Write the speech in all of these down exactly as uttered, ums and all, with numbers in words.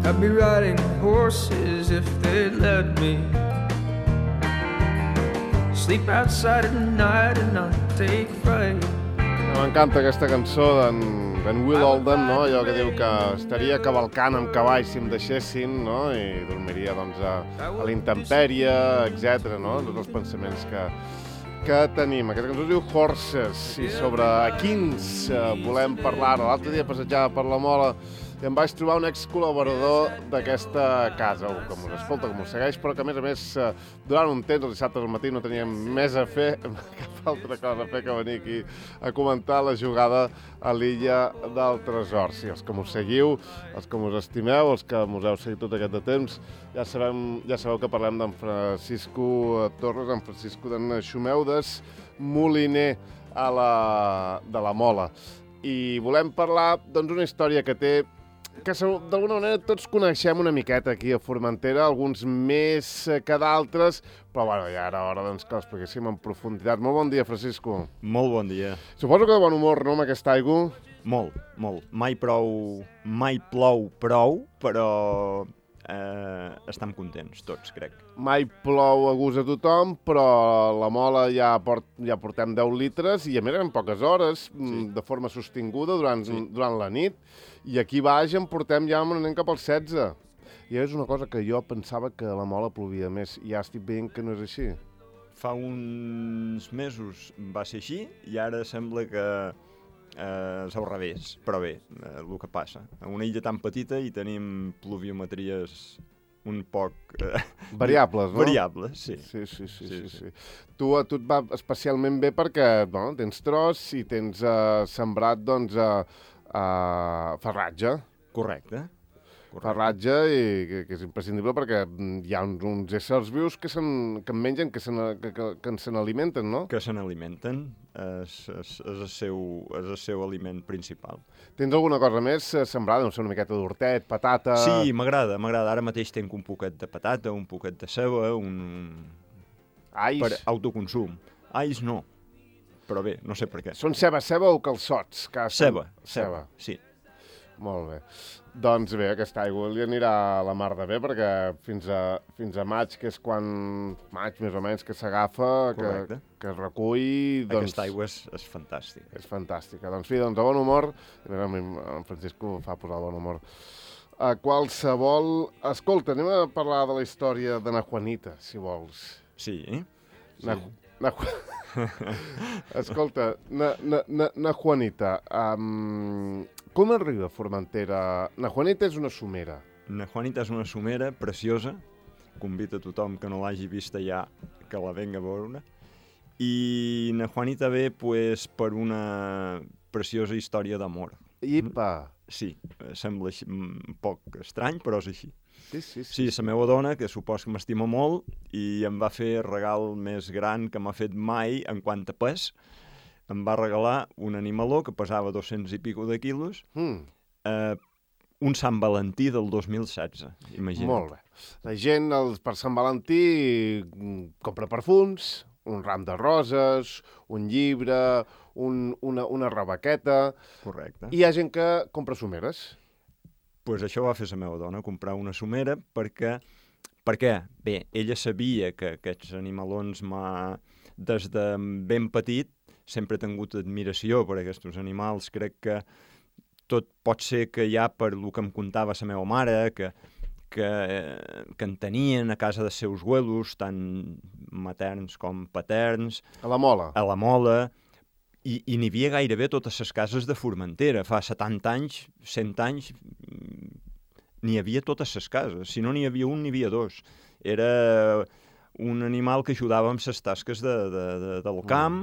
I'd be riding horses if they'd let me. Sleep outside at night and not take fright. M'encanta aquesta cançó d'en d'en Will Oldham, no? Allò que diu que estaria cavalcant amb cavalls si em deixessin, no? I dormiria, doncs, a, a la intempèrie, etcètera, no? Tots els pensaments que, que tenim. Aquesta cançó es diu Horses, i sobre quins eh, volem parlar. L'altre dia passejava per la Mola i em vaig trobar un ex-col·laborador d'aquesta casa, que m'ho escolta, que m'ho segueix, però que, a més a més, durant un temps, els dissabtes al matí, no teníem més a fer, cap altra cosa a fer que venir aquí a comentar la jugada a l'Illa del Tresor. Sí, els que m'ho seguiu, els que m'ho estimeu, els que m'ho heu seguit tot aquest de temps, ja, sabem, ja sabeu que parlem d'en Francisco Torres, en Francisco d'en Xumeudes, moliner a la, de la Mola. I volem parlar doncs, d'una història que té que d'alguna manera tots coneixem una miqueta aquí a Formentera, alguns més que d'altres, però bueno, ja era hora doncs, que l'expliquéssim en profunditat. Molt bon dia, Francisco. Molt bon dia. Suposo que de bon humor, no, amb aquesta aigua? Molt, molt. Mai prou, mai plou prou, però eh, estem contents tots, crec. Mai plou a gust a tothom, però la Mola ja, port, ja portem deu litres i a més en poques hores, sí. De forma sostinguda durant, sí. durant la nit. I aquí baix en portem ja anem cap als setze. I és una cosa que jo pensava que a la Mola plovia més. I ja estic veient que no és així. Fa uns mesos va ser així i ara sembla que eh, és al revés. Però bé, eh, el que passa. En una illa tan petita hi tenim pluviometries un poc... Eh, variables, no? Variables, sí. Sí, sí, sí. sí, sí, sí. Tu, a tu et va especialment bé perquè bueno, tens tros i tens eh, sembrat, doncs... Eh, Uh, farratge. Correcte. Correcte. Farratge, i, que, que és imprescindible perquè hi ha uns, uns éssers vius que, que en mengen, que se que, que, que se n'alimenten, no? Que se n'alimenten. És, és, és, el seu, és el seu aliment principal. Tens alguna cosa més sembrada? No sé, una miqueta d'hortet, patata... Sí, m'agrada, m'agrada. Ara mateix tenc un poquet de patata, un poquet de ceba, un... Ais? Per autoconsum. Ais no. Però bé, no sé per què. Són ceba, ceba o calçots? Que ceba, ceba, sí. Molt bé. Doncs bé, aquesta aigua li anirà a la mar de bé, perquè fins a, fins a maig, que és quan... maig, més o menys, que s'agafa, que, que es recull... Doncs, aquesta aigua és, és fantàstica. És fantàstica. Doncs fi, doncs, de bon humor... En Francisco fa posar bon humor. A qualsevol... Escolta, anem a parlar de la història de na Juanita, si vols. Sí? Na, na, Escolta, na, na, na, na Juanita, um, com arriba a Formentera? Na Juanita és una somera. Na Juanita és una somera preciosa, convida a tothom que no l'hagi vista ja que la venga a veure, i na Juanita ve pues, per una preciosa història d'amor. Ipa! Sí, sembla així, un poc estrany, però és així. Sí, sí, sí. Sí, la meva dona, que supos que m'estima molt, i em va fer el regal més gran que m'ha fet mai en quant a pes. Em va regalar un animaló que pesava dos-cents i pico de quilos, mm. eh, un Sant Valentí del dos mil setze, imagina't. Molt bé. La gent els, per Sant Valentí compra perfums, un ram de roses, un llibre, un, una, una rebequeta... Correcte. I hi ha gent que compra someres. Pues això va fer la meva dona, comprar una somera, perquè, per què? Bé, ella sabia que aquests animalons m'ha... Des de ben petit sempre he tingut admiració per aquests animals. Crec que tot pot ser que ja per el que em contava la meva mare, que, que, que en tenien a casa dels seus abuelos, tant materns com paterns. A la Mola. A la Mola. I, i n'hi havia gairebé totes les cases de Formentera. Fa setanta anys, cent anys, n'hi havia totes les cases. Si no n'hi havia un, n'hi havia dos. Era un animal que ajudava amb les tasques de, de, de, del camp,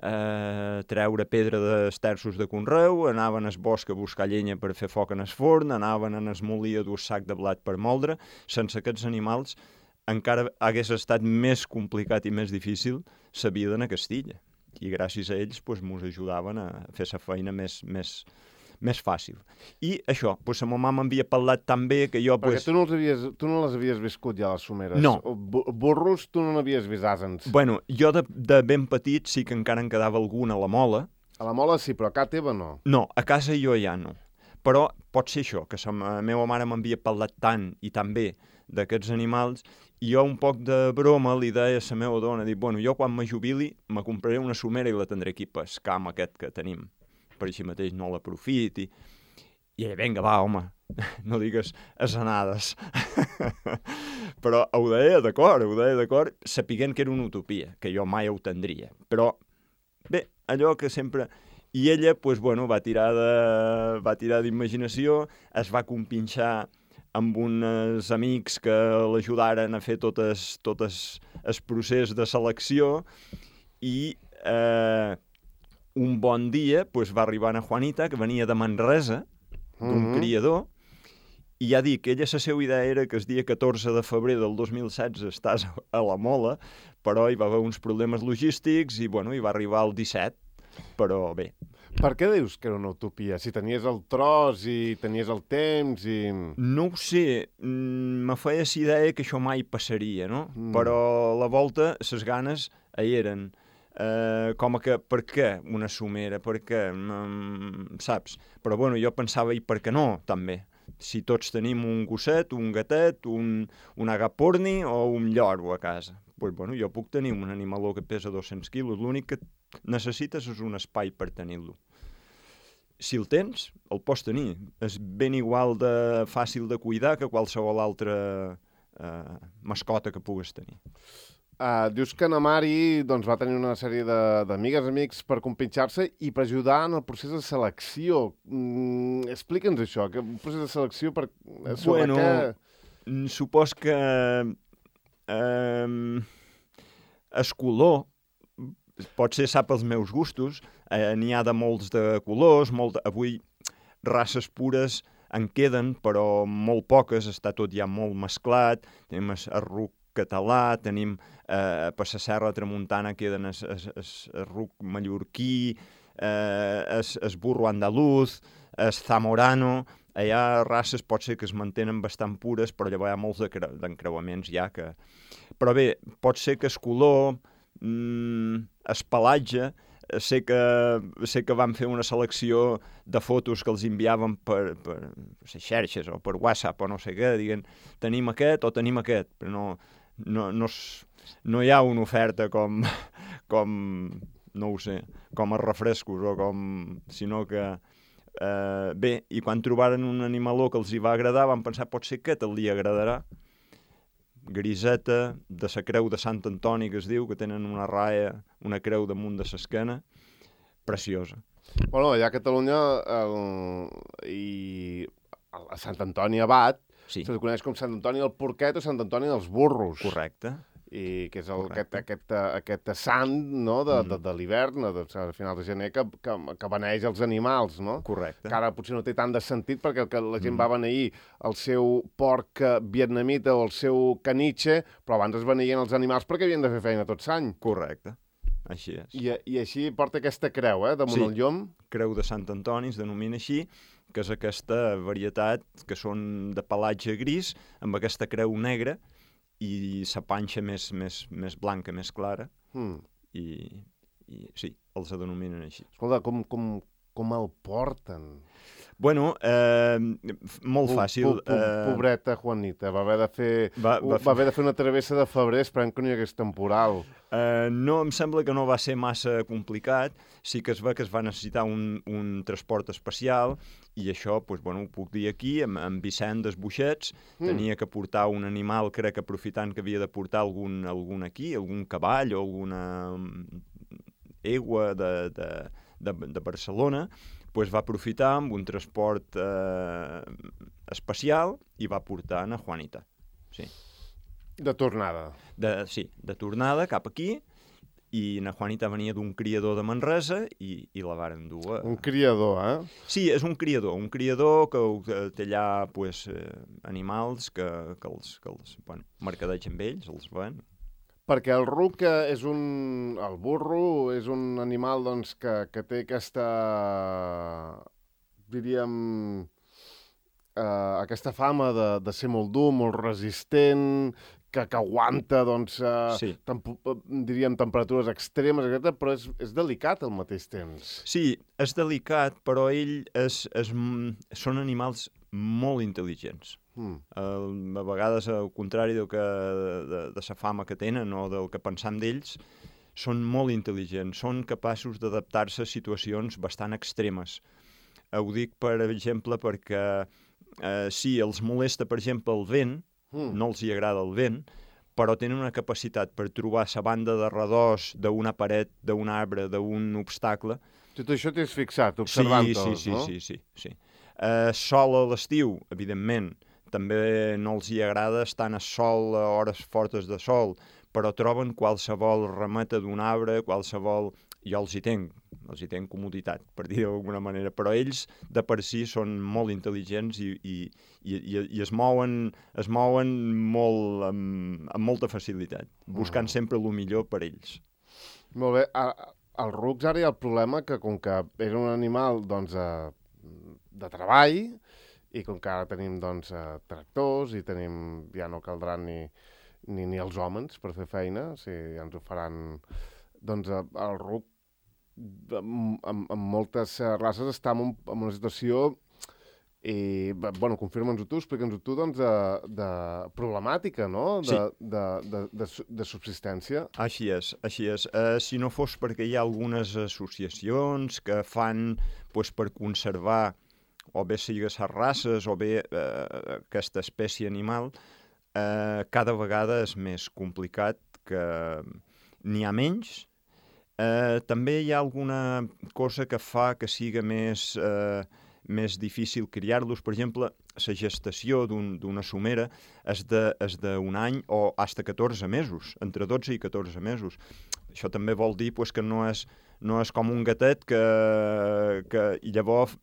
eh, treure pedra dels terços de conreu, anaven al bosc a buscar llenya per fer foc en el forn, anaven en el molí a dur sac de blat per moldre. Sense aquests animals encara hagués estat més complicat i més difícil la vida en Castilla. I gràcies a ells doncs, mos ajudaven a fer la feina més, més, més fàcil. I això, doncs, la meva mama m'havia parlat tan bé que jo... Perquè doncs... tu, no els havies, tu no les havies viscut ja, les someres. No. Burros tu no n'havies vist asens. Bueno, jo de, de ben petit sí que encara en quedava algun a la Mola. A la Mola sí, però a casa teva no. No, a casa jo ja no. Però pot ser això, que la meva mare m'havia parlat tant i tan bé d'aquests animals, i jo un poc de broma li deia a la meva dona, dic, bueno, jo quan me jubili me compraré una somera i la tindré aquí pel camp aquest que tenim, per així mateix no l'aprofiti. I ella, vinga, va, home, no digues asenades. Però ho deia d'acord, ho deia d'acord, sapiguent que era una utopia, que jo mai ho tindria. Però, bé, allò que sempre... I ella, doncs, bueno, va tirar de, va tirar d'imaginació, es va compinxar amb uns amics que l'ajudaren a fer totes, totes el procés de selecció i eh, un bon dia doncs, va arribar a Juanita, que venia de Manresa, d'un mm-hmm. criador, i ja dic, ella la seva idea era que el dia catorze de febrer del dos mil setze estàs a la Mola, però hi va haver uns problemes logístics i, bueno, hi va arribar el disset, però bé. Per què dius que era una utopia? Si tenies el tros i tenies el temps i... No ho sé, me feia la idea que això mai passaria, no? Mm. Però a la volta les ganes hi eren. Uh, com que, per què una somera? Per què? Mm, saps? Però bueno, jo pensava, i per què no, també? Si tots tenim un gosset, un gatet, un, un agaporni o un lloro a casa. Pues, bueno, jo puc tenir un animaló que pesa dos-cents quilos, l'únic que necessites és un espai per tenir-lo. Si el tens, el pots tenir. És ben igual de fàcil de cuidar que qualsevol altra eh, mascota que pugues tenir. Uh, dius que na Mari doncs, va tenir una sèrie d'amigues, amics per compinxar-se i per ajudar en el procés de selecció. Mm, explica'ns això, que un procés de selecció per... sobre bueno, què... supos que eh, el color pot ser sap els meus gustos, eh, n'hi ha de molts de colors, molt, avui races pures en queden, però molt poques, està tot ja molt mesclat, tenim el ruc català, tenim eh, per la serra tramuntana queden el, el, el, el ruc mallorquí, eh, el, el burro andaluz, el zamorano, hi ha races pot ser que es mantenen bastant pures, però llavors hi ha molts d'encreuaments ja que... Però bé, pot ser que el color, mm, el pelatge, sé que, sé que van fer una selecció de fotos que els enviaven per, per les xarxes o per WhatsApp o no sé què, diguen, tenim aquest o tenim aquest, però no, no, no, no hi ha una oferta com, com, no ho sé, com els refrescos o com, sinó que, eh, bé, i quan trobaren un animaló que els hi va agradar, van pensar, pot ser que li agradarà, griseta, de la creu de Sant Antoni, que es diu, que tenen una raia, una creu damunt de l'esquena, preciosa. Bueno, allà a Catalunya el, i a Sant Antoni Abat, sí. Se coneix com Sant Antoni del Porquet o Sant Antoni dels Burros. Correcte. I que és el, aquest, aquest, aquest sant no, de, mm. de, de l'hivern, a final de gener, que, que, que beneix els animals, no? Correcte. Que ara potser no té tant de sentit perquè el que la gent mm. va beneir el seu porc vietnamita o el seu caniche, però abans es beneïen els animals perquè havien de fer feina tot l'any. Correcte, així és. I, I així porta aquesta creu, eh, damunt sí. el llom. Creu de Sant Antoni, es denomina així, que és aquesta varietat que són de pelatge gris, amb aquesta creu negra, i la panxa més, més, més blanca, més clara, mm. i, i sí, els denominen així. Escolta, com, com, com el porten? Bueno, eh, molt fàcil. Po, po, eh... Pobreta Juanita, va haver de fer, va, va, va haver de fer una travessa de febrer esperant que no hi hagués temporal. Eh, no, em sembla que no va ser massa complicat, sí que es va que es va necessitar un, un transport especial, i això, doncs, bueno, ho puc dir aquí, amb, amb Vicent d'Esbuixets, mm. tenia que portar un animal, crec, aprofitant que havia de portar algun, algun aquí, algun cavall o alguna egua de, de, de, de Barcelona, pues va aprofitar amb un transport eh, especial i va portar a Juanita. Sí. De tornada. De, sí, de tornada cap aquí, i na Juanita venia d'un criador de Manresa i, i la varen dur a... Un criador, eh? Sí, és un criador, un criador que, que té allà pues, eh, animals que, que els, que els bueno, mercadeig amb ells, els ven. Perquè el ruc és un... el burro és un animal doncs, que, que té aquesta... diríem... Eh, aquesta fama de, de ser molt dur, molt resistent, que, que aguanta, doncs, uh, sí. temp diríem, temperatures extremes, etcètera, però és, és delicat al mateix temps. Sí, és delicat, però ell és, és, són animals molt intel·ligents. Mm. Uh, a vegades, al contrari del que, de, de la fama que tenen o del que pensam d'ells, són molt intel·ligents, són capaços d'adaptar-se a situacions bastant extremes. Uh, ho dic, per exemple, perquè uh, sí, els molesta, per exemple, el vent, mm. no els hi agrada el vent, però tenen una capacitat per trobar la banda de redós d'una paret, d'un arbre, d'un obstacle. Tot això t'has fixat, observant-los, sí, sí, no? Sí, sí, sí. sí. Uh, sol a l'estiu, evidentment, també no els hi agrada estar a sol a hores fortes de sol, però troben qualsevol rameta d'un arbre, qualsevol... Jo els hi tenc, els hi tenc comoditat, per dir d'alguna manera, però ells de per si són molt intel·ligents i, i, i, i es mouen, es mouen molt, amb, amb molta facilitat, buscant sempre el millor per ells. Molt bé. Als rucs ara hi ha el problema que, com que és un animal doncs, de treball, i com que ara tenim doncs, tractors i tenim, ja no caldran ni, ni, ni els homes per fer feina, o sigui, ja ens ho faran... Doncs el ruc, amb, amb, amb moltes races, està en, un, en una situació, i, bueno, confirma'ns-ho tu, explica'ns-ho tu, doncs, de, de problemàtica, no?, de, sí. de, de, de, de subsistència. Així és, així és. Uh, si no fos perquè hi ha algunes associacions que fan, pues, per conservar o bé sigui les races o bé eh, aquesta espècie animal, eh, cada vegada és més complicat, que n'hi ha menys. Eh, també hi ha alguna cosa que fa que siga més, eh, més difícil criar-los. Per exemple, la gestació d'una un, somera és d'un any o fins a catorze mesos, entre dotze i catorze mesos. Això també vol dir pues, que no és, no és com un gatet que, que llavors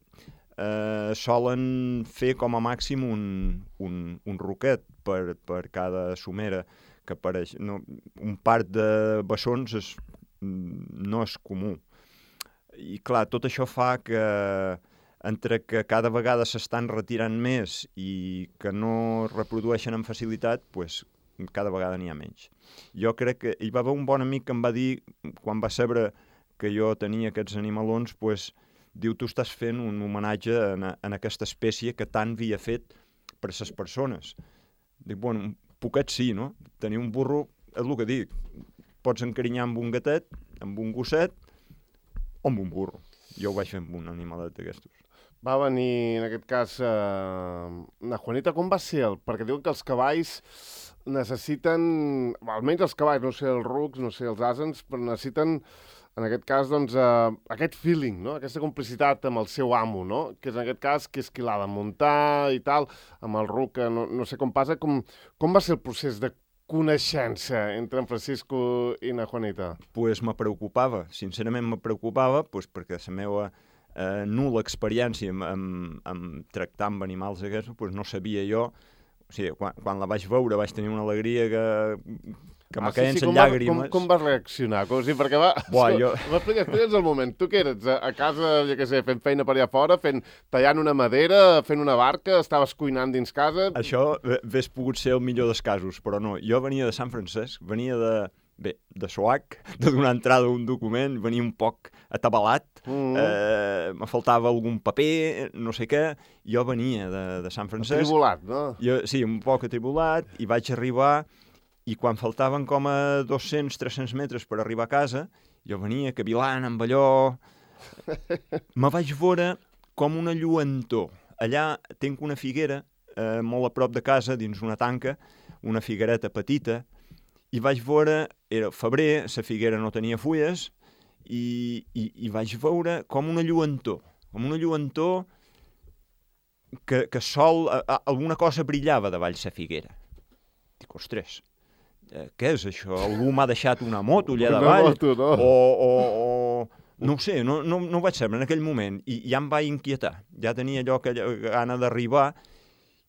eh, solen fer com a màxim un, un, un roquet per, per cada somera que apareix. No, un part de bessons és, no és comú. I clar, tot això fa que entre que cada vegada s'estan retirant més i que no reprodueixen amb facilitat, pues, cada vegada n'hi ha menys. Jo crec que hi va haver un bon amic que em va dir, quan va saber que jo tenia aquests animalons, pues, diu, tu estàs fent un homenatge en, en aquesta espècie que tant havia fet per les persones. Dic, bueno, un poquet sí, no? Tenir un burro, és el que dic, pots encarinyar amb un gatet, amb un gosset o amb un burro. Jo ho vaig fer amb un animalet d'aquestos. Va venir, en aquest cas, eh, na Juanita, com va ser? El? Perquè diuen que els cavalls necessiten, almenys els cavalls, no sé els rucs, no sé els asens, però necessiten, en aquest cas, doncs, eh, aquest feeling, no? Aquesta complicitat amb el seu amo, no? Que és, en aquest cas, que és qui l'ha de muntar i tal, amb el ruc, no, no sé com passa. Com, com va ser el procés de coneixença entre en Francisco i na Juanita? Pues me preocupava, sincerament me preocupava, pues perquè la meva eh, nul·la experiència amb, amb, amb tractar amb animals aquests, pues no sabia jo. O sigui, quan, quan la vaig veure vaig tenir una alegria que, que ah, me queien sí, sí, llàgrimes. Com, com vas reaccionar? Com, sí, perquè va... Buah, jo... Explica'ns el moment. Tu què eres? A, a casa, ja què sé, fent feina per allà fora, fent, tallant una madera, fent una barca, estaves cuinant dins casa... Això hauria pogut ser el millor dels casos, però no. Jo venia de Sant Francesc, venia de... Bé, de SOAC, de donar entrada a un document, venia un poc atabalat, mm. eh, me faltava algun paper, no sé què, jo venia de, de Sant Francesc. Atribulat, no? Jo, sí, un poc atribulat, i vaig arribar, i quan faltaven com a dos-cents tres-cents metres per arribar a casa, jo venia cavilant amb allò, me vaig veure com una lluentor. Allà tinc una figuera, eh, molt a prop de casa, dins una tanca, una figuereta petita, i vaig veure, era febrer, la figuera no tenia fulles, i, i, i vaig veure com una lluentor, com una lluentor que, que sol, a, a, alguna cosa brillava davall la figuera. Dic, ostres, eh, què és això? Algú m'ha deixat una moto allà davall? Una moto, no? O, o, o no ho sé, no, no, no ho vaig saber en aquell moment, i ja em va inquietar. Ja tenia allò que gana d'arribar,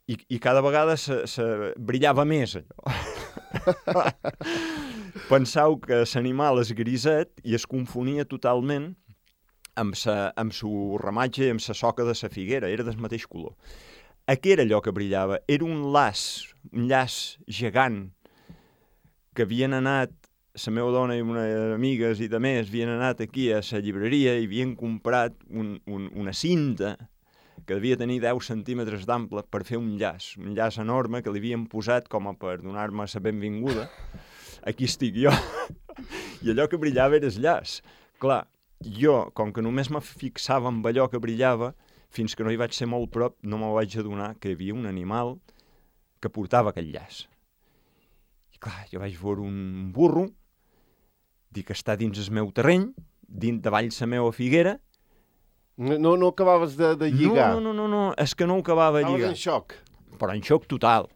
i, i cada vegada se, se brillava més allò. Pensau que l'animal és griset i es confonia totalment amb sa, amb su ramatge i amb la soca de la figuera, era del mateix color. Què era allò que brillava? Era un laç, un llaç gegant que havien anat, la meva dona i unes amigues i de més, havien anat aquí a la llibreria i havien comprat un, un, una cinta que devia tenir deu centímetres d'ample per fer un llaç, un llaç enorme que li havien posat com a per donar-me la benvinguda. Aquí estic jo. I allò que brillava era el llaç. Clar, jo, com que només me fixava en allò que brillava, fins que no hi vaig ser molt prop, no me vaig adonar que hi havia un animal que portava aquell llaç. I clar, jo vaig veure un burro, dic que està dins el meu terreny, dins davall la meva figuera. No, no acabaves de, de lligar? No, no, no, no, és que no ho acabava de lligar. Estaves en xoc? Però en xoc total.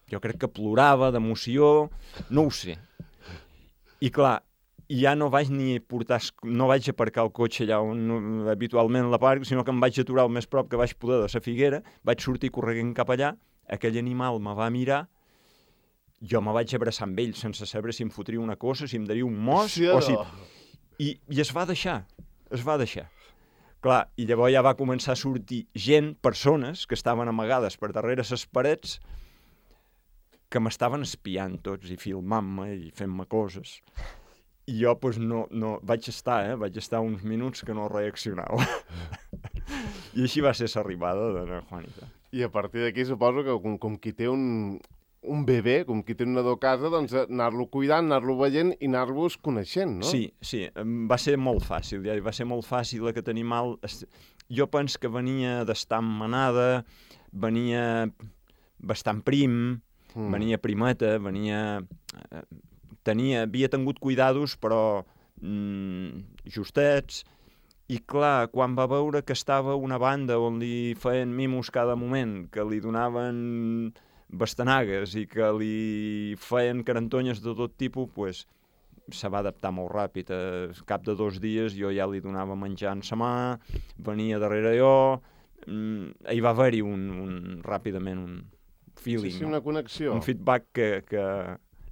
Jo crec que plorava d'emoció, no ho sé. I clar, ja no vaig ni portar, no vaig aparcar el cotxe allà on habitualment la parc, sinó que em vaig aturar el més prop que vaig poder de la figuera, vaig sortir corrent cap allà, aquell animal me va mirar, jo me vaig abraçar amb ell sense saber si em fotria una cosa, si em daria un mos, sí, o si... I, I es va deixar, es va deixar. Clar, i llavors ja va començar a sortir gent, persones, que estaven amagades per darrere les parets, que m'estaven espiant tots i filmant-me i fent-me coses. I jo, doncs, no, no... Vaig estar, eh? Vaig estar uns minuts que no reaccionava. I així va ser l'arribada de la Juanita. I a partir d'aquí suposo que com, com qui té un, un bebè, com qui té un nadó a casa, doncs anar-lo cuidant, anar-lo veient i anar-vos coneixent, no? Sí, sí, va ser molt fàcil, ja va ser molt fàcil aquest animal. Jo penso que venia d'estar en manada, venia bastant prim, mm. venia primeta, venia... Tenia, havia tingut cuidados, però mm, justets, i clar, quan va veure que estava una banda on li feien mimos cada moment, que li donaven bastanagues i que li feien carantonyes de tot tipus, pues, se va adaptar molt ràpid. Al cap de dos dies jo ja li donava menjar en sa mà, venia darrere jo, mm, hi va haver-hi un, un, ràpidament un feeling, sí, sí, una connexió. Un feedback que... que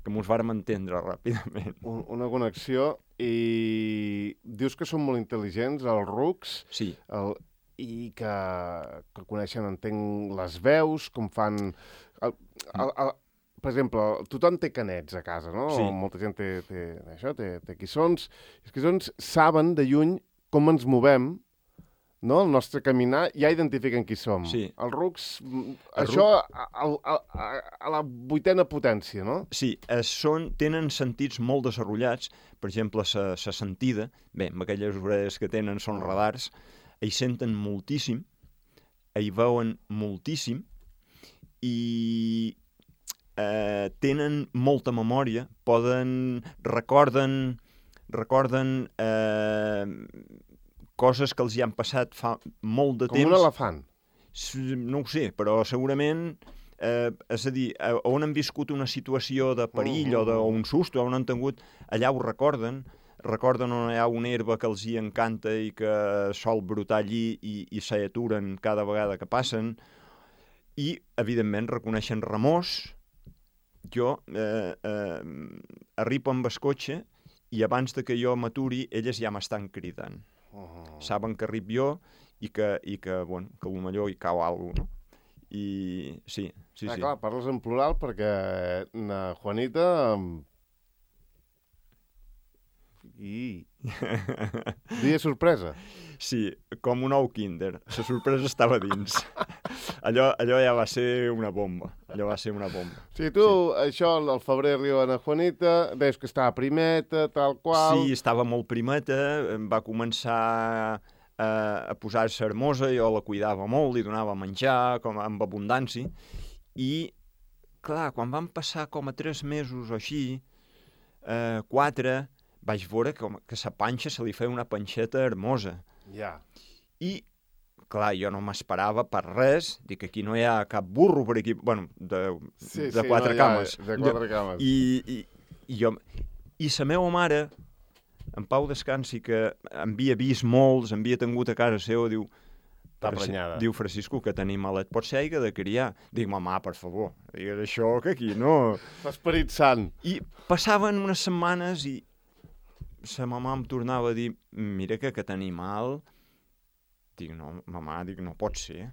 que mos vàrem entendre ràpidament. Un, una connexió, i dius que són molt intel·ligents, els rucs, sí. el, i que, que coneixen, entenc, les veus, com fan... El, el, el, per exemple, tothom té canets a casa, no? Sí. Molta gent té, té, això, té, té quissons. Els quissons saben de lluny com ens movem, no? El nostre caminar, ja identifiquen qui som. Sí. Els rucs, El això a, a, a, a la vuitena potència, no? Sí, eh, són, tenen sentits molt desenvolupats. Per exemple, la sentida, bé, amb aquelles orelles que tenen són radars, hi senten moltíssim, hi veuen moltíssim, i eh, tenen molta memòria, poden, recorden, recorden... Eh, coses que els hi han passat fa molt de Com temps. un elefant. No ho sé, però segurament, eh, és a dir, on han viscut una situació de perill uh -huh. o, de, o un susto, on han tingut, allà ho recorden, recorden on hi ha una herba que els hi encanta i que sol brotar allí i, i s'aturen cada vegada que passen, i, evidentment, reconeixen remors. Jo eh, eh, arribo amb el cotxe i abans de que jo m'aturi, elles ja m'estan cridant. Uh-huh. Saben que arribo jo i que, i que, bueno, que potser hi cau alguna cosa, no? I sí, sí, ah, sí. Clar, parles en plural perquè na Juanita... I... dia sorpresa. Sí, com un ou kinder. La sorpresa estava dins. allò, allò ja va ser una bomba. Allò va ser una bomba. O sigui, tu, sí. Això, al febrer arriba na Juanita, veus que estava primeta, tal qual... Sí, estava molt primeta, va començar a, a posar-se hermosa, jo la cuidava molt, li donava menjar com amb abundància, i, clar, quan van passar com a tres mesos o així, eh, quatre, vaig veure que, que sa panxa se li feia una panxeta hermosa. Ja. Yeah. I, clar, jo no m'esperava per res, dic que aquí no hi ha cap burro per aquí, bueno, de, sí, de sí, quatre no, cames. Ja, de quatre cames. I, i, i, jo, i sa meva mare, en Pau descansi, que havia vist molts, havia tingut a casa seva, diu, està prenyada. Diu, Francisco, que tenim malet, pot ser aigua de criar. Dic, mamà, per favor, digues això, que aquí no... L'esperit sant. I passaven unes setmanes i sa mamà em tornava a dir, mira que aquest animal... Dic, no, mamà, dic, no pot ser.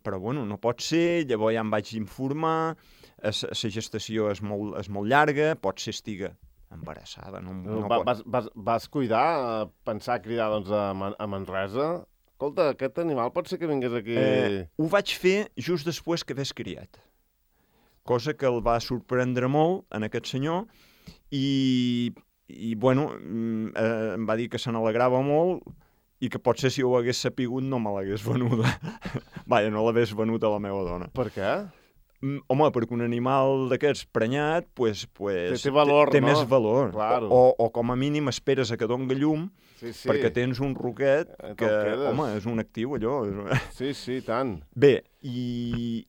però bueno, no pot ser, llavors ja em vaig informar, la gestació és molt, és molt llarga, pot ser estiga embarassada. No, no Va, pot... vas, vas, vas cuidar, pensar cridar doncs, a, Man a Manresa? Escolta, aquest animal pot ser que vingués aquí... Eh, ho vaig fer just després que hagués criat. Cosa que el va sorprendre molt en aquest senyor i, i bueno, eh, em va dir que se n'alegrava molt i que potser si ho hagués sapigut no me l'hagués venuda. Vaja, no l'hagués venut a la meva dona. Per què? Home, perquè un animal d'aquests prenyat, pues, pues, té, té valor, té, té no? més valor. Claro. O, o com a mínim esperes a que doni llum, sí, sí. perquè tens un roquet que, home, és un actiu, allò. Sí, sí, tant. Bé, i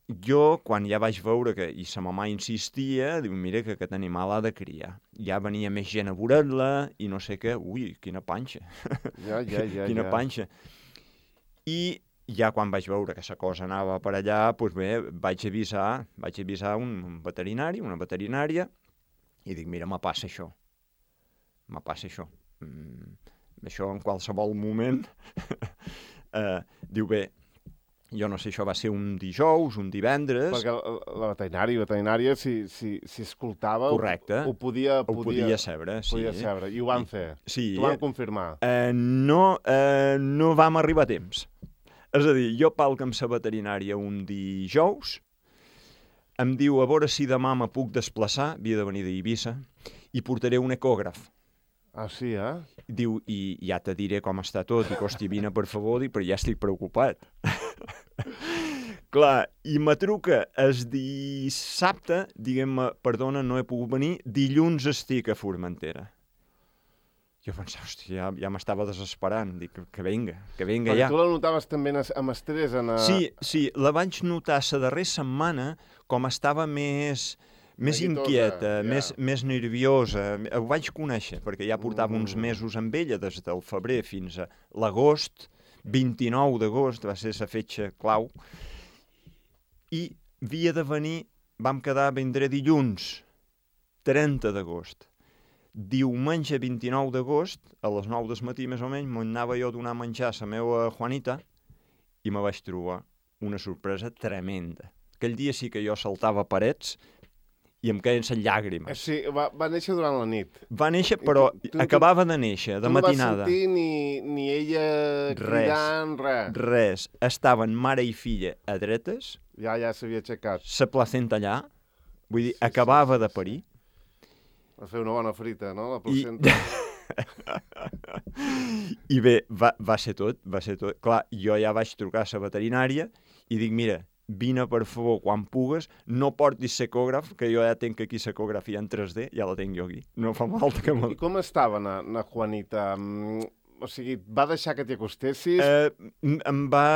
jo, quan ja vaig veure que, i sa mamà insistia, diu, mira que aquest animal ha de criar. Ja venia més gent a veure-la, i no sé què, ui, quina panxa. Ja, ja, ja. quina ja. panxa. I ja quan vaig veure que la cosa anava per allà, doncs bé, vaig avisar, vaig avisar un veterinari, una veterinària, i dic, mira, me passa això. Me passa això. Mm, això en qualsevol moment. eh, diu, bé, jo no sé, això va ser un dijous, un divendres... Perquè la, la veterinària, veterinària si, si, si escoltava... Correcte. Ho, ho podia... Ho podia, podia saber, sí. Podia saber, i ho van fer. Sí. T'ho van confirmar. Eh, no, eh, no vam arribar a temps. És a dir, jo palc amb la veterinària un dijous, em diu a veure si demà me puc desplaçar, havia de venir d'Eivissa, i portaré un ecògraf. Ah, sí, eh? Diu, i ja te diré com està tot, i costi, vine, per favor, dic, però ja estic preocupat. Clar, i me truca el dissabte, diguem-me, perdona, no he pogut venir, dilluns estic a Formentera. Jo pensava, hòstia, ja, ja m'estava desesperant. Dic, que, que venga, que venga ja. Perquè tu la notaves també amb estrès? En a... Sí, sí, la vaig notar la darrera setmana com estava més, més Neguitosa, inquieta, ja. més, més nerviosa. Ho vaig conèixer, perquè ja portava mm. uns mesos amb ella, des del febrer fins a l'agost, vint-i-nou d'agost, va ser la fetge clau. I havia de venir, vam quedar, vindré dilluns, trenta d'agost. Diumenge vint-i-nou d'agost, a les nou del matí més o menys, m'anava jo a donar menjar a la meva Juanita i me vaig trobar una sorpresa tremenda. Aquell dia sí que jo saltava parets i em queien les llàgrimes. Sí, va, va néixer durant la nit. Va néixer, però tu, tu, acabava de néixer, de matinada. Tu no vas sentir ni, ni ella cridant, res. Res. Estaven mare i filla a dretes. Ja, ja s'havia aixecat. La placenta allà. Vull dir, sí, acabava sí, sí, de parir. Va fer una bona frita, no? La placenta. I, I bé, va, va ser tot, va ser tot. Clar, jo ja vaig trucar a la veterinària i dic, mira, vine per favor quan pugues, no portis l'ecògraf, que jo ja tinc aquí l'ecografia en tres D, ja la tinc jo aquí. No fa falta que me... I com estava na, na Juanita? O sigui, va deixar que t'hi acostessis? Eh, em va...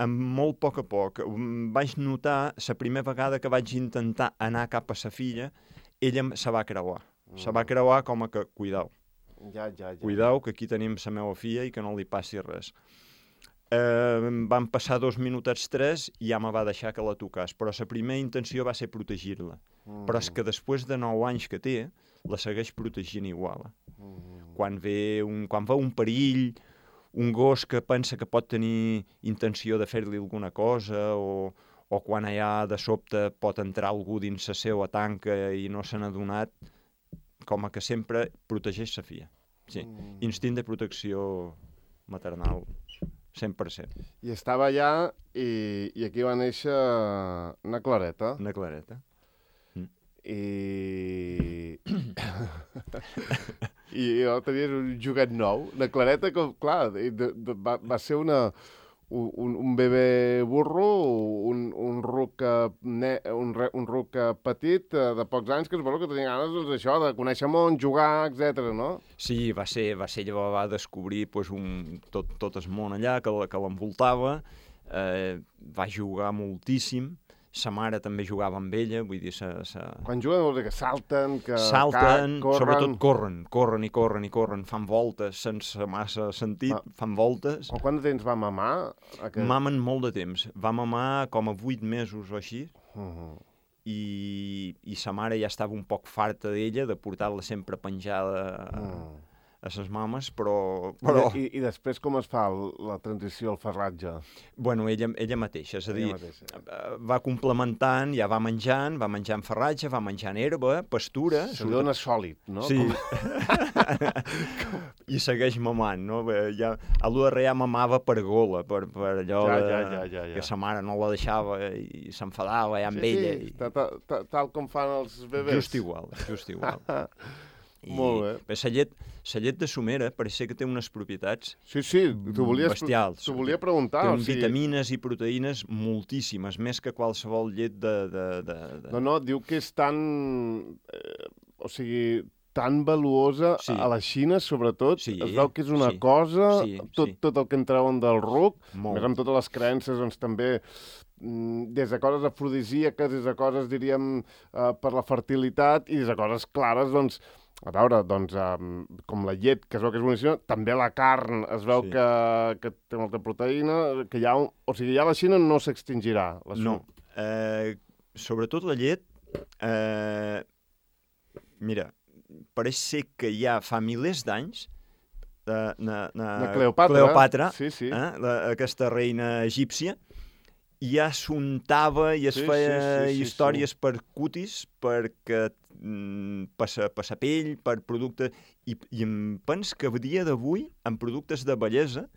Amb molt poc a poc. Vaig notar, la primera vegada que vaig intentar anar cap a sa filla, ella se va creuar. Mm. Se va creuar com a que, cuidau. Ja, ja, ja. Cuidau, que aquí tenim la meva filla i que no li passi res. Eh, van passar dos minutets, tres, i ja me va deixar que la tocàs. Però la primera intenció va ser protegir-la. Mm. Però és que després de nou anys que té, la segueix protegint igual. Mm. Quan ve un, quan va un perill, un gos que pensa que pot tenir intenció de fer-li alguna cosa, o, o quan allà de sobte pot entrar algú dins la seva tanca i no se n'ha donat, com a que sempre protegeix la filla. Sí. Mm. Instint de protecció maternal, cent per cent. I estava allà i, i aquí va néixer una Clareta. Una Clareta. Mm. I... I jo tenia un joguet nou. La Clareta, que, clar, de, de, va, va ser una, un, un bebè burro, un, un ruc, ne, un, un ruc petit de pocs anys que, bueno, que tenia ganes doncs, això, de conèixer món, jugar, etcètera, no? Sí, va ser, va ser llavors va descobrir pues, un, tot, tot el món allà que, que l'envoltava, eh, va jugar moltíssim. Sa mare també jugava amb ella, vull dir... Sa, sa... Quan juguen vol dir que salten, que... Salten, corren... sobretot corren, corren i corren i corren, fan voltes sense massa sentit, Va. fan voltes. O quant de temps va mamar? Aquest... Mamen molt de temps. Va mamar com a vuit mesos o així, uh -huh. i, i sa mare ja estava un poc farta d'ella, de portar-la sempre penjada a, uh -huh. a ses mames, però... però... I, I després com es fa el, la transició al farratge? Bueno, ella, ella mateixa, és a dir, mateixa. va complementant, ja va menjant, va menjant farratge, va menjant herba, pastura... Se li dona sòlid, no? Sí. Com... I segueix mamant, no? Ja, a l'U R ja mamava per gola, per, per allò ja, de, ja, ja, ja, ja. que sa mare no la deixava i s'enfadava ja amb sí, ella. Sí, i... tal, tal, tal com fan els bebès. Just igual, just igual. I, Molt bé. Bé, la llet, la llet de somera pareix ser que té unes propietats sí, sí, t'ho volies, bestials. T'ho volia preguntar. Té o sigui... vitamines i proteïnes moltíssimes, més que qualsevol llet de... de, de, de... No, no, diu que és tan... Eh, o sigui, tan valuosa sí. a la Xina, sobretot. Sí, es veu que és una sí, cosa, sí, tot, sí. tot el que en treuen del ruc, Molt. més amb totes les creences, doncs també des de coses afrodisíaques, des de coses, diríem, eh, per la fertilitat, i des de coses clares, doncs, a veure, doncs, um, com la llet, que es veu que és boníssima, també la carn es veu sí. que, que té molta proteïna, que ja, o sigui, ja la Xina no s'extingirà. La no, eh, sobretot la llet, eh, mira, pareix ser que ja fa milers d'anys de, de, de, de Cleopatra, Cleopatra sí, sí. Eh, la, aquesta reina egípcia, ja s'untava i es sí, feia sí, sí, sí, històries sí. per cutis, perquè mm, per sa pell, per productes... I, i em pens que a dia d'avui, en productes de bellesa,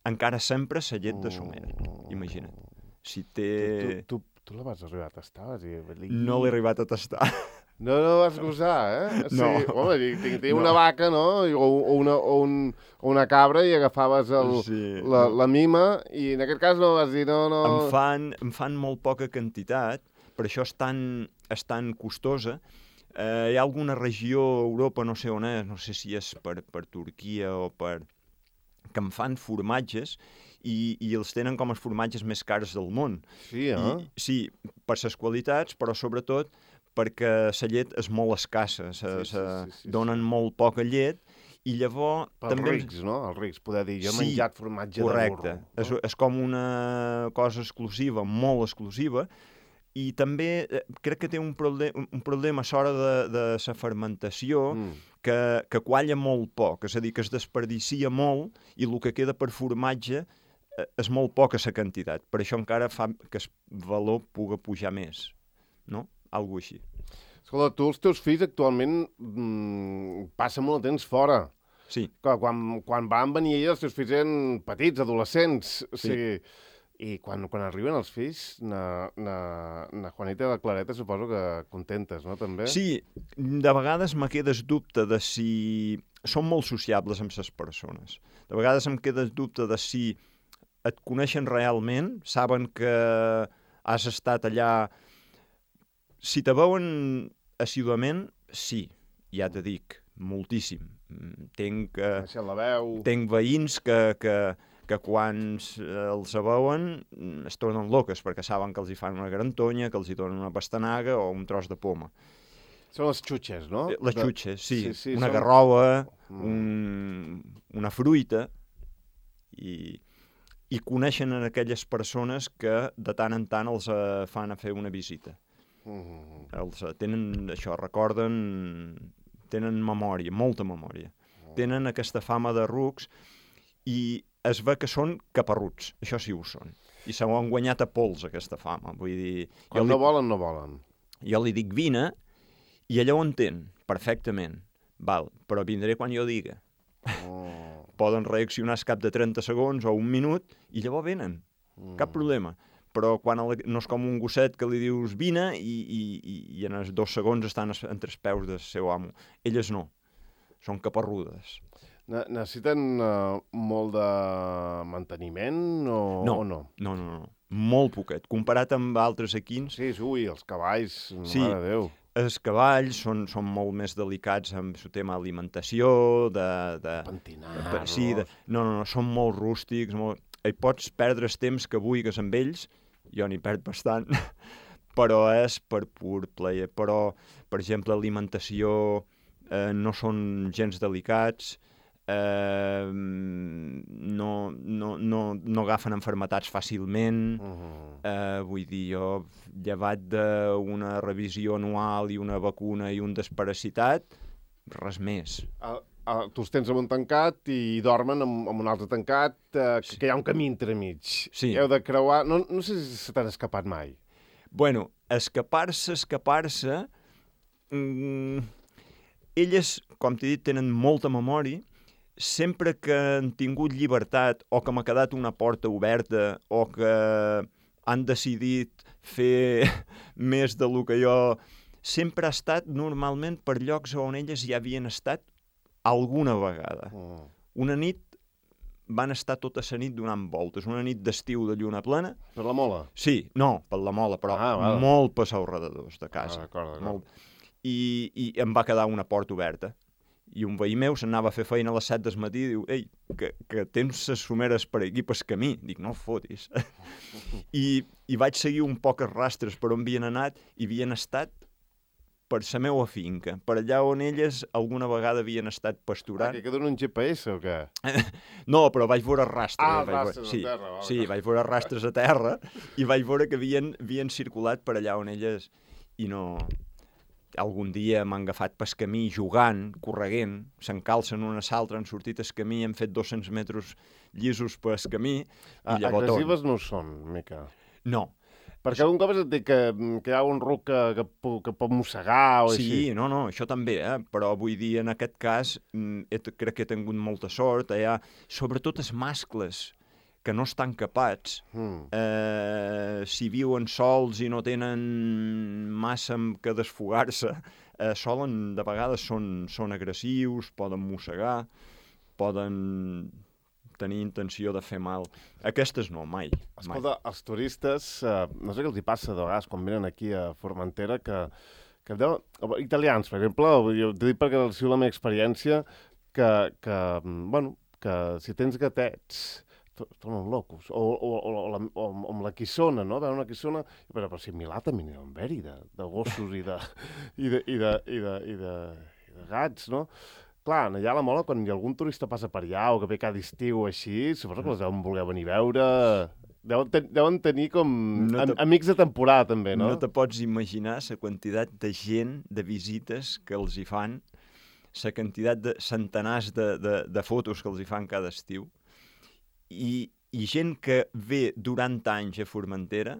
encara sempre la llet de somera. Imagina't. Si té... Tu, tu, tu, tu la vas arribar a tastar? Vas dir, no l'he arribat a tastar. No, no vas gosar, eh? No. Sí, home, tinc no. una vaca, no? O, o, una, o, un, o una cabra i agafaves el, sí. la, la mima i en aquest cas no vas dir no, no... Em fan, em fan molt poca quantitat, per això és tan, és tan costosa. Eh, hi ha alguna regió a Europa, no sé on és, no sé si és per, per Turquia o per... que em fan formatges i, i els tenen com els formatges més cars del món. Sí, eh? I, sí, per les qualitats, però sobretot perquè la llet és molt escassa, se, sí, se sí, sí, sí, donen sí. molt poca llet i llavors... Pels també... rics, no? Els rics, poder dir, jo he sí, menjat formatge correcte. de burro. És, és com una cosa exclusiva, molt exclusiva, i també eh, crec que té un, problem, un problema a l'hora de, de la fermentació, mm. que, que qualla molt poc, és a dir, que es desperdicia molt i el que queda per formatge eh, és molt poca la quantitat. Per això encara fa que el valor pugui pujar més, no? Algo així. Escolta, tu els teus fills actualment mmm, passen molt de temps fora. Sí. Quan, quan van venir ells, els teus fills eren petits, adolescents. O sí. sigui, i quan, quan arriben els fills, na, na, na Juanita i la Clareta suposo que contentes, no, també? Sí, de vegades me quedes dubte de si... Són molt sociables amb les persones. De vegades em quedes dubte de si et coneixen realment, saben que has estat allà... Si te veuen assíduament, sí, ja te dic, moltíssim. Tenc, eh, la veu. tenc veïns que, que, que quan els veuen es tornen loques perquè saben que els hi fan una garantonya, que els hi donen una pastanaga o un tros de poma. Són les xutxes, no? Les xutxes, sí. sí, sí una són... garrova, un, una fruita, i, i coneixen aquelles persones que de tant en tant els uh, fan a fer una visita. Mm. Els, uh, tenen això, recorden, tenen memòria, molta memòria. Mm. Tenen aquesta fama de rucs i es ve que són caparruts, això sí ho són. I se ho han guanyat a pols, aquesta fama. Vull dir... Quan no li... volen, no volen. Jo li dic vine i ella ho entén perfectament. Val, però vindré quan jo diga. Oh. Poden reaccionar al cap de trenta segons o un minut i llavors venen. Mm. Cap problema. Però quan el, no és com un gosset que li dius vine i, i, i en els dos segons estan entre els peus del seu amo. Elles no. Són caparrudes. Necessiten uh, molt de manteniment o no? O no? No, no, no. Molt poquet. Comparat amb altres equins... Sí, ui, els cavalls, sí, mare de Déu. Els cavalls són, són molt més delicats amb el tema alimentació, de... de Pentinar-los. Sí, de, no, no, no, són molt rústics, molt... Hi pots perdre el temps que vulguis amb ells, jo n'hi perd bastant, però és per pur plaer. Però, per exemple, alimentació eh, no són gens delicats, eh, no, no, no, no agafen malalties fàcilment, uh-huh. eh, vull dir, jo, llevat d'una revisió anual i una vacuna i un desparasitat, res més. El, uh, tu els tens en un tancat i dormen en, en un altre tancat, uh, Sí. que hi ha un camí entremig. Sí. Heu de creuar... No, no sé si se t'han escapat mai. Bueno, escapar-se, escapar-se... Mm, elles, com t'he dit, tenen molta memòria. Sempre que han tingut llibertat o que m'ha quedat una porta oberta o que han decidit fer més de lo que jo... Sempre ha estat normalment per llocs on elles ja havien estat alguna vegada. Mm. Una nit van estar tota la nit donant voltes, una nit d'estiu de lluna plena. Per la mola? Sí, no, per la mola, però Ah, val. molt per alrededors de casa. Ah, d'acord, d'acord. Molt. I, I em va quedar una porta oberta. I un veí meu s'anava a fer feina a les set del matí i diu, ei, que, que tens les someres per aquí, pel camí. Dic, no fotis. I, I vaig seguir un poc els rastres per on havien anat i havien estat per la meva finca, per allà on elles alguna vegada havien estat Ah, pasturant. que queda un G P S o què? No, però vaig veure rastres. Ah, vaig veure... rastres a sí, terra, val, sí, val. vaig veure rastres a terra i vaig veure que havien, havien circulat per allà on elles i no... Algun dia m'han agafat pel camí jugant, correguent, s'encalcen una a l'altra, han sortit al camí, han fet dos-cents metres llisos pel camí i Ah, llavors... agressives no ho són, mica. No. Perquè algun cop et dic que, que hi ha un ruc que, que, pu- que pot mossegar o Sí, així. no, no, això també, eh? Però vull dir, en aquest cas, mm, he, crec que he tingut molta sort. Hi ha, sobretot els mascles, que no estan capats, Mm. eh, si viuen sols i no tenen massa amb què desfogar-se, eh, solen, de vegades són, són agressius, poden mossegar, poden tenir intenció de fer mal. Aquestes no, mai. mai. Escolta, els turistes, eh, no sé què els hi passa de vegades quan venen aquí a Formentera, que, que deuen, italians, per exemple, jo t'he dit perquè ha sigut la meva experiència, que, que, bueno, que si tens gatets, to- tornen locos. O, o, o, o, la, o, o amb la quissona, no? Veure una quissona... Però, però si a Milà també n'hi ha un veri de, de gossos i de, i, de, i, de, i, de, i, de, i de gats, no? Clar, allà a la Mola, quan hi ha algun turista passa per allà o que ve cada estiu o així, suposo que els deuen voler venir a veure... Deuen, ten, deuen tenir com No am, te- amics de temporada, també, no? No te pots imaginar la quantitat de gent, de visites que els hi fan, la quantitat de centenars de, de, de fotos que els hi fan cada estiu, i, i gent que ve durant anys a Formentera,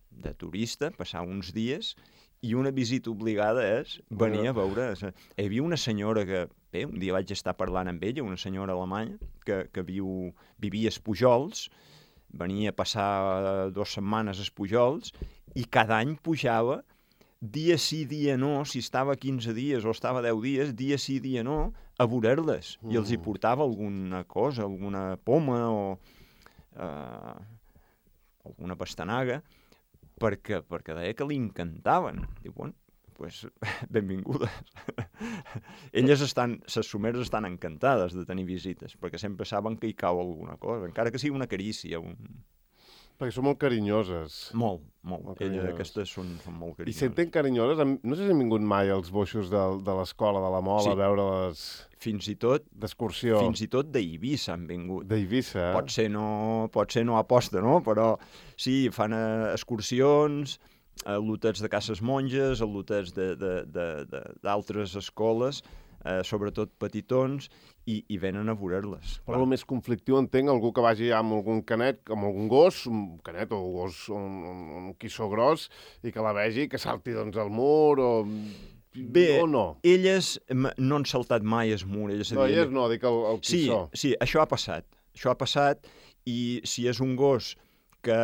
de turista, passar uns dies, i una visita obligada és venir a veure... Hi havia una senyora que, bé, un dia vaig estar parlant amb ella, una senyora alemanya, que, que viu, vivia als Pujols, venia a passar dues setmanes als Pujols, i cada any pujava, dia sí, dia no, si estava quinze dies o estava deu dies, dia sí, dia no, a veure-les. Mm. I els hi portava alguna cosa, alguna poma o eh, alguna pastanaga, perquè, perquè deia que li encantaven. Diu, bueno, pues, benvingudes. Elles estan, les someres estan encantades de tenir visites, perquè sempre saben que hi cau alguna cosa, encara que sigui una carícia. Un... Perquè són molt carinyoses. Molt, molt. Molt Elles carinyoses. aquestes són, són molt I carinyoses. senten carinyoses. Am- No sé si han vingut mai els boixos de, de l'escola de la Mola Sí. a veure-les Fins i tot, d'excursió fins i tot d'Eivissa han vingut. d'Eivissa. Eh? Pot ser no, pot ser no aposta, no? Però sí, fan eh, excursions, a lotets de cases monges, a lotets d'altres escoles, eh, sobretot petitons, i, i venen a veure-les. Però el més conflictiu entenc algú que vagi amb algun canet, amb algun gos, un canet o un gos, un, un, un quissó gros, i que la vegi, que salti doncs al mur o... Bé, o no? elles m- no han saltat mai el mur. Elles No, havien- elles no, dic el, el Sí, quissó. sí, això ha passat. Això ha passat i si és un gos que,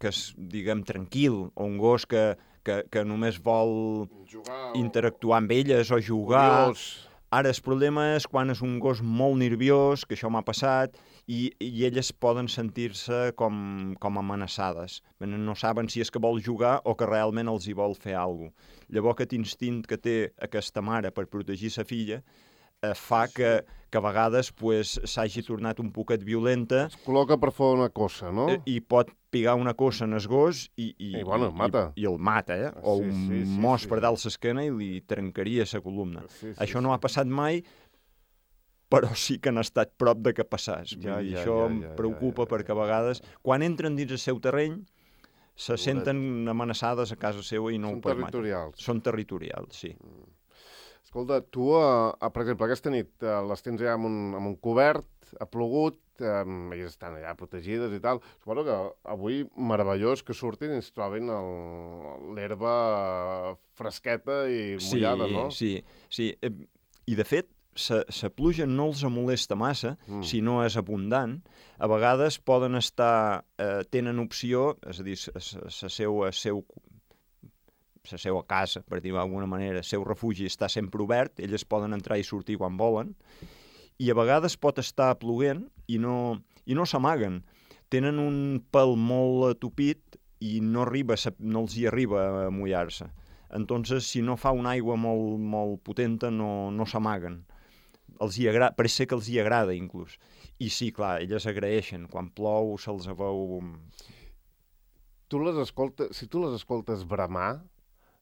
que és, diguem, tranquil, o un gos que, que, que només vol Jugar interactuar amb elles o jugar... Curiós. Ara, el problema és quan és un gos molt nerviós, que això m'ha passat, i, i elles poden sentir-se com, com amenaçades. No saben si és que vol jugar o que realment els hi vol fer alguna cosa. Llavors, aquest instint que té aquesta mare per protegir sa filla eh, fa que, que a vegades pues, s'hagi tornat un poquet violenta Es col·loca per fer una cosa, no? eh, i pot pigar una cosa en el gos i, i, I, bueno, el mata. i, i el mata, eh? O Sí, un sí, sí, mos sí, per sí. dalt l'esquena i li trencaria la columna. Sí, sí, Això sí. no ha passat mai, però sí que han estat prop de que passàs. Vull Ja, dir, ja, això ja, em ja, preocupa ja, ja, perquè a ja, vegades, ja. quan entren dins el seu terreny, se senten amenaçades a casa seva i no Són ho permeten. territorials. Són territorials, sí. Escolta, tu, uh, per exemple, aquesta nit uh, les tens allà amb un, amb un cobert, ha plogut, um, elles estan allà protegides i tal. Suposo que avui meravellós que surtin i es trobin l'herba fresqueta i mullada, sí, no? Sí, sí. I, de fet, la pluja no els molesta massa mm. si no és abundant. A vegades poden estar, eh, tenen opció, és a dir, la seva, seu, la seva casa, per dir-ho d'alguna manera, el seu refugi està sempre obert, elles poden entrar i sortir quan volen, i a vegades pot estar ploguent i no, i no s'amaguen. Tenen un pèl molt atupit i no, arriba, no els hi arriba a mullar-se. Entonces, si no fa una aigua molt, molt potenta, no, no s'amaguen. Els hi agrada, pareix ser que els hi agrada, inclús. I sí, clar, elles agraeixen. Quan plou, se'ls veu... Tu les escoltes, si tu les escoltes bramar,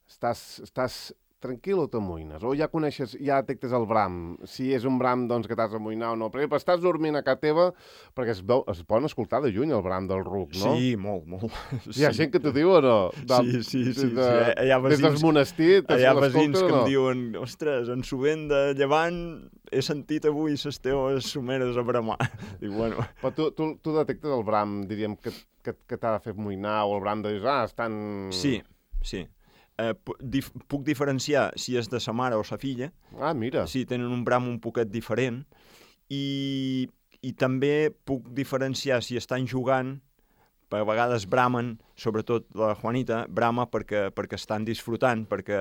estàs, estàs tranquil o t'amoïnes? O ja coneixes, ja detectes el bram? Si és un bram, doncs, que t'has d'amoïnar o no? Per exemple, estàs dormint a casa teva, perquè es, veu, es poden escoltar de lluny el bram del ruc, no? Sí, molt, molt. Hi ha sí. gent que t'ho diu o no? De, sí, sí, sí. De, sí. Hi ha vesins, des del monestir, hi ha vesins que no? em diuen, ostres, en sovint de llevant he sentit avui les teves someres a bramar. Dic, bueno... Però tu, tu, tu detectes el bram, diríem, que, que, que t'ha de fer amoïnar, o el bram de dir, ah, estan... Sí, sí. Eh, dif puc diferenciar si és de sa mare o sa filla. Ah, mira. Sí, tenen un bram un poquet diferent. I, i també puc diferenciar si estan jugant, a vegades bramen, sobretot la Juanita, brama perquè, perquè estan disfrutant, perquè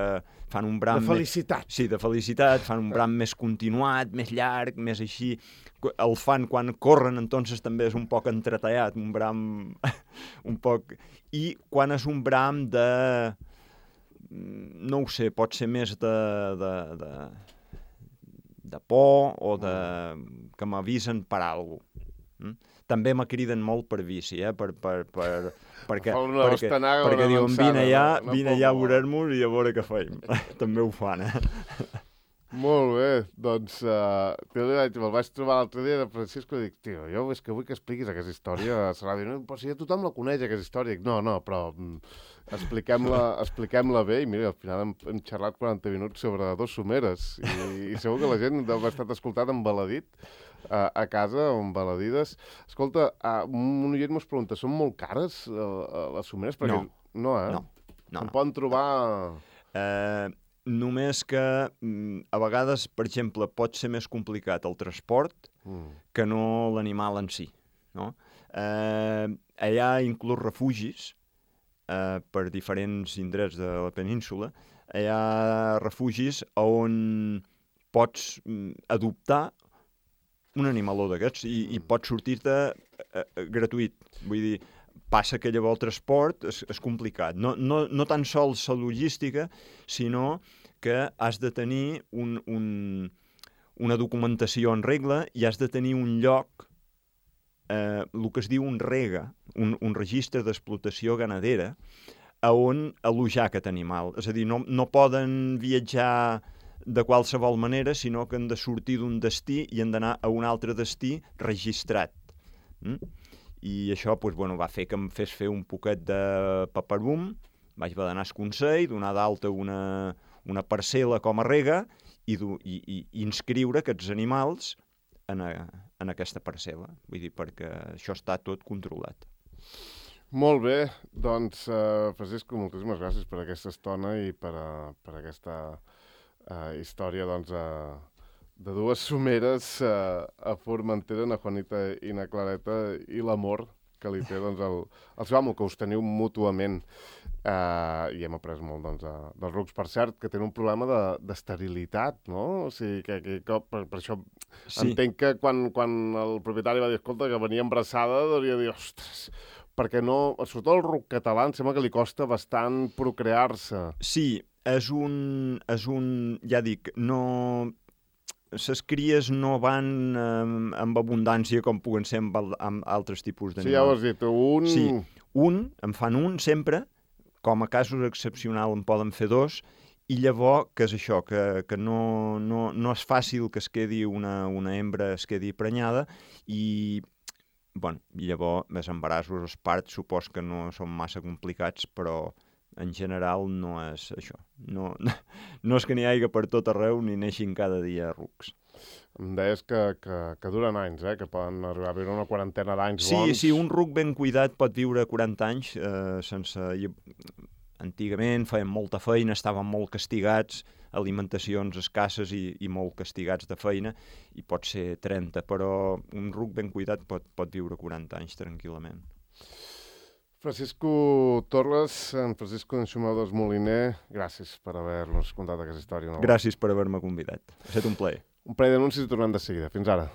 fan un bram... De felicitat. Més, sí, de felicitat, fan un bram més continuat, més llarg, més així. El fan quan corren, entonces també és un poc entretallat, un bram un poc... I quan és un bram de... no ho sé, pot ser més de, de, de, de por o de, que m'avisen per alguna cosa. També me criden molt per bici, eh? per, per, per, perquè, una perquè, perquè diuen vine allà, vine allà a veure-nos i a veure què feim. També ho fan, eh? Molt bé, doncs uh, me'l vaig trobar l'altre dia de Francisco i dic, tio, jo és que vull que expliquis aquesta història a la ràdio. No, però si ja tothom la coneix, aquesta història. Dic, no, no, però mm, expliquem-la expliquem-la bé i mira, al final hem, hem xerrat quaranta minuts sobre dos someres i, i segur que la gent ha estat escoltat embaladit uh, a casa o embaladides. Escolta, uh, un oient mos pregunta, són molt cares uh, les someres? Perquè, no. No, eh? No. no Se'n no. poden trobar... Uh, només que a vegades, per exemple, pot ser més complicat el transport mm. que no l'animal en si. No? Eh, allà hi ha inclús refugis eh, per diferents indrets de la península. Hi ha refugis on pots adoptar un animaló d'aquests i, i pots sortir-te eh, gratuït. Vull dir, passa que llavors el transport és, és complicat. No, no, no tan sols la logística, sinó que has de tenir un, un, una documentació en regla i has de tenir un lloc, eh, el que es diu un rega, un, un registre d'explotació ganadera, a on alojar aquest animal. És a dir, no, no poden viatjar de qualsevol manera, sinó que han de sortir d'un destí i han d'anar a un altre destí registrat. Mm? I això doncs, bueno, va fer que em fes fer un poquet de paperum, vaig haver d'anar al Consell, donar d'alta una, una parcel·la com a rega i, i, i inscriure aquests animals en, a, en aquesta parcel·la. Vull dir, perquè això està tot controlat. Molt bé, doncs, uh, Francisco, moltíssimes gràcies per aquesta estona i per, uh, per aquesta uh, història, doncs, uh, de dues someres uh, a Formentera, na Juanita i na Clareta, i l'amor que li té doncs, el, el seu amo, que us teniu mútuament. Uh, I hem après molt doncs, uh, dels rucs, per cert, que tenen un problema d'esterilitat, de, no? O sigui, que, que, que per, per això sí. Entenc que quan, quan el propietari va dir, escolta, que venia embarassada, hauria de dir, ostres, perquè no, sobretot el ruc català, em sembla que li costa bastant procrear-se. Sí, és un, és un, ja dic, no... les cries no van eh, amb abundància com puguen ser amb, amb altres tipus d'animals. Sí, ja ho has dit, un... Sí, un, en fan un sempre, com a casos excepcionals en poden fer dos, i llavors, que és això, que, que no, no, no és fàcil que es quedi una, una hembra, es quedi prenyada, i bueno, llavors els embarassos, els parts, supos que no són massa complicats, però en general no és això. No, no és que n'hi hagi per tot arreu ni neixin cada dia rucs. Em deies que, que, que duren anys, eh? Que poden arribar a viure una quarantena d'anys sí, bons. Sí, un ruc ben cuidat pot viure quaranta anys eh, sense... Antigament feien molta feina, estaven molt castigats, alimentacions escasses i, i molt castigats de feina, i pot ser trenta, però un ruc ben cuidat pot, pot viure quaranta anys tranquil·lament. Francisco Torres, en Francisco Enxumadors Moliner, gràcies per haver-nos contat aquesta història. No? Gràcies per haver-me convidat. Ha estat un plaer. Un parell d'anuncis i tornem de seguida. Fins ara.